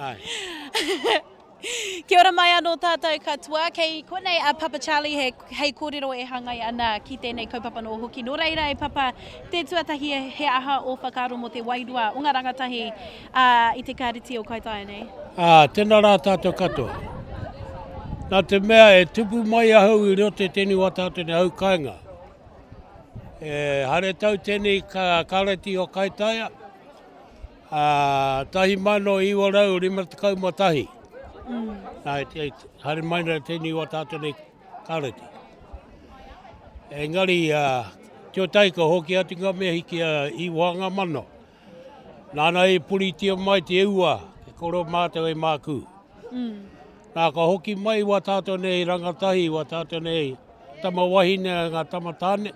Ai. Kia ora mai anō tātou katoa. Kei konei a Papa Charlie he, hei kōrero e hāngai ana ki tēnei kaupapa nō hoki. Nō reira e Papa, te tuatahi he aha ō whakaaro mō te wairua o ngā rangatahi ā, i te kāreti o Kaitaia nei? Ā, tēnā rā tātou katoa. Nā te mea e tupu mai ahau i roto i tēnei wā tātou nei hau kāinga. E haere tau tēnei ka, kāreti o Kaitaia, Ā, 1951. Mm. Nā, e, e, haere mai nei tēnei wā tātou nei kāreti. Engari, uh, tio tai ka hoki atu ngā mihi ki a Iwanga Mano. Nāna i puritia mai te ua, te koro mātou e mākū. Mm. Nā, ka hoki mai wā tātou nei rangatahi, wā tātou nei tama wahine, ngā tama tāne.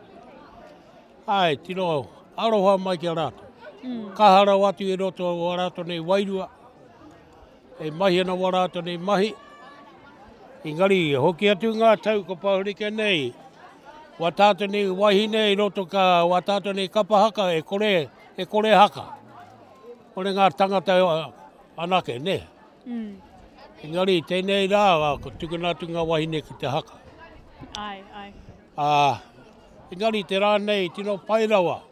Āe, tino aroha mai ki a rātou. Mm. Kaha rawa atu i roto o a rātou nei wairua, e mahi ana wā rātou nei mahi. Engari, hoki atu ngā tau ko Pahurike nei, wā tātou nei wahine i roto ka, wā tātou nei kapa haka e kore, e kore haka. Kore ngā tangata anake, ne? Mm. Engari, tēnei rā, ko tukuna atu ngā wahine ki te haka. Ai, ai. Ā, engari te rā nei tino pai rawa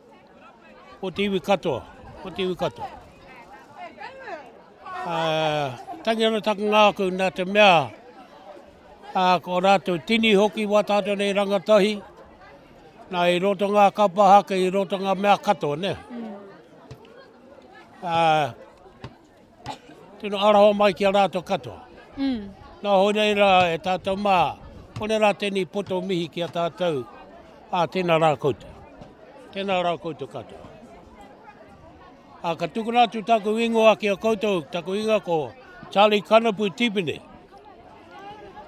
o te iwi katoa, o te iwi katoa. Ā, tangi ana taku ngākau nā te mea, ā, ko rātou tini hoki wā tātou nei rangatahi, nā i roto ngā kapa haka, i roto ngā mea katoa, nē. Ā, Tino aroha mai ki a rātou katoa. Mm. Nā hoi nei rā e tātou mā, kone rā tēnei poto mihi ki a tātou, ā, tēnā rā koutou. Tēnā rā koutou katoa. Ā, ka tukuna atu taku ingoa ki a koutou, taku ingoa ko Charlie Kanapu Tipene.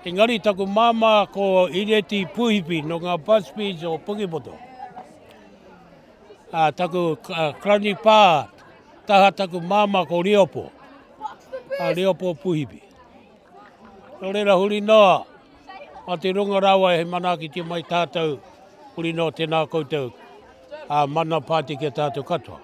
Engari taku māmā ko Ireti Puhipi no ngā Busbys o Pukepoto. Ā, taku karani pā, taha taku māmā ko Riopo, a Riopo Puhipi. Nō reira huri noa, mā te runga rawa e manaakitia mai tātou, huri noa tēnā koutou, ā, mana pāti ki a tātou katoa.